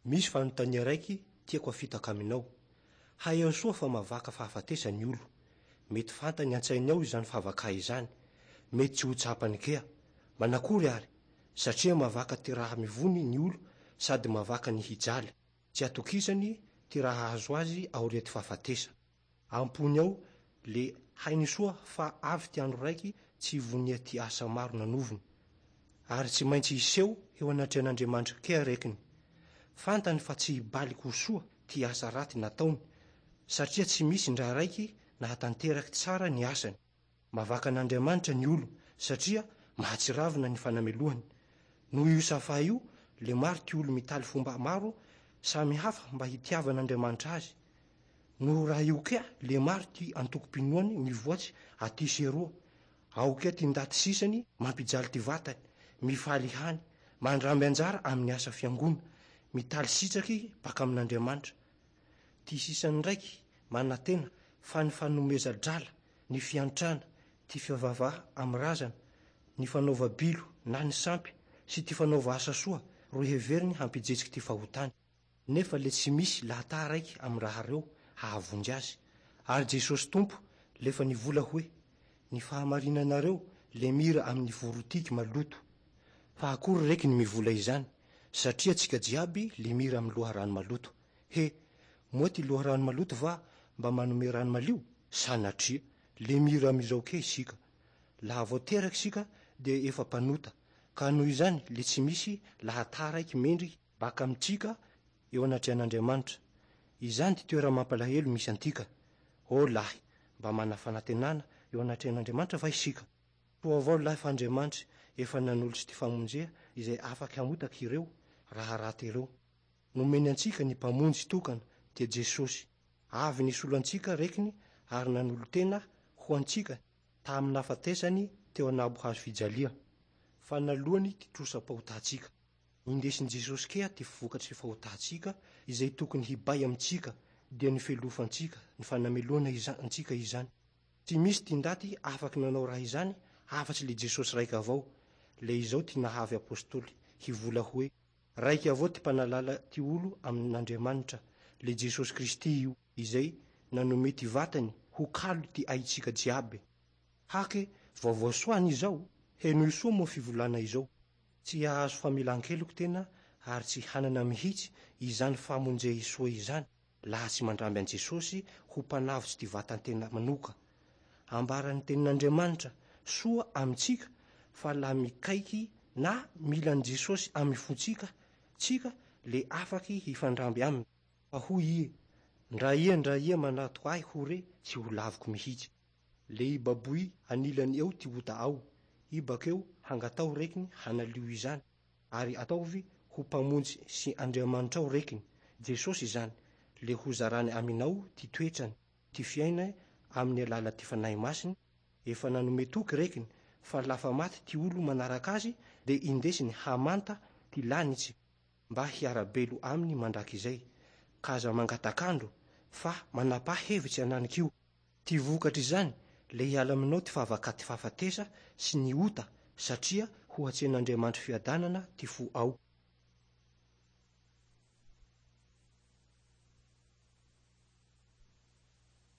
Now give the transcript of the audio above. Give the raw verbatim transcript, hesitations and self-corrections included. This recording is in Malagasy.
Misy fanontania raiky tiako afitaka aminao. Hay soa fa mavaka fahafatesany ny olo. Mety fantany an-tsainy ao izany fahavaka izany. Mety tsy ho tsapany kea. Manakory ary, satria mavaka ty raha mivony ny olo sady mavaka ny hijaly. Tsy atokisany ty raha azo azy aorian'ny fahafatesa. Ampony ao le hainy soa fa avy ty andro raiky tsy vonia ty asa maro nanovony. Ary tsy maintsy hiseho eo anatrehan'Andriamanitra kea rekiny. Fantany fa tsy hibaliky ho soa ty asa raty nataony, satria tsy misy ndra raiky nahatanteraky tsara ny asany. Mavaka an'Andriamanitra ny olo, satria mahatsiravina ny fanamelohany. Noho io safa io, le maro ty olo mitaly fomba maro samy hafa mba hitiavan'Andriamanitra azy. Noho raha io kea, le maro ty antokom-pinoany mivoatsy aty sy eroa. Ao kea ty ndaty sisany mampijaly ty vatany, mifaly hany, mandramby anjara amin'ny asa fiangona, mitaly sitraky baka amin'Andriamanitra. Ty sisany ndraiky manantena fa ny fanomeza-drala, ny fiantrana, ty fivavaha amin'ny razana, ny fanaova bilo na ny sampy sy ty fanaova asa soa ro heveriny hampijetsiky ty fahotany. Nefa le tsy misy lahata raiky amin'ny raha reo hahavonjy azy. Ary Jesosy Tompo lefa nivola hoe ny fahamarinanareo le mira amin'ny vorotiky maloto. Fa akory reky ny mivola izany, satria tsika jiaby le mira amin'ny loharano maloto. He, moa ty loharano maloto va mba manome rano malio? Sanatria, le mira amizao ke isika. Laha vao teraky isika dia efa mpanota, ka noho izany le tsy misy lahata raiky mendriky baka amitsika eo anatrehan'Andriamanitra. Izany ty toera mampalahelo misy antika. Ô lahy, mba mana fanantenana eo anatrehan'Andriamanitra va isika? Soa avao lahy fa Andriamanitra efa nanolotsy ty famonjea izay afaky hamotaky ireo raha raty ireo. Nomeny antsika ny mpamonjy tokana dia Jesosy. Avy nisolo antsika rekiny ary nanolo-tena ho antsika tamin'ny nahafatesany teo anabo hazo fijalia. Fa nalohany ty trosam-pahotantsika. Indesin'i Jesosy kea ty vokatry fahotantsika izay tokony hibay amintsika dia ny felofantsika, ny fanamelohana iza- antsika izany. Tsy misy ty ndaty afaky nanao raha izany afa-tsy le Jesosy raiky avao. Le izao ty nahavy apôstôly hivola hoe raiky avao ty mpanalala ty olo amin'Andriamanitra, le Jesosy Kristy io, izay nanome ty vatany ho kalo ty aitsika jiaby. Hake vaovao soa izao, henoy soa moa fivolana izao. Tsy hahazo famelan-keloky tena ary tsy hanana mihitsy izany famonjea soa izany, laha tsy mandramby an Jesosy ho mpanavotsy ty vatan-tena manoka. Ambaran'ny tenin'Andriamanitra soa amintsika fa laha mikaiky na mila an'i Jesosy amin'ny fontsika, tsika le afaky hifandramby aminy. Fa hoy i, ndra ia ndra ia manato ahy ho re tsy ho laviko mihitsy. Le ibaboy anilany eo ty ota ao, i bakeo hangatao rekiny hanalio izany, ary ataovy ho mpamonjy sy Andriamanitra ao rekiny. Jesosy izany, le ho zarany aminao ty toetrany, ty fiaina amin'ny alala ty fanahy masiny, efa nanome toky rekiny fa lafa maty ty olo manaraka azy de indesiny hamanta ty lanitsy mba hiarabelo aminy mandrakizay. Ka aza mangatak'andro fa manapa hevitsy ananik'io. Ty vokatry izany le hiala aminao ty fahavaka ty fahafatesa sy ny ota satria ho hatsen'Andriamanitra fiadanana ty fo ao.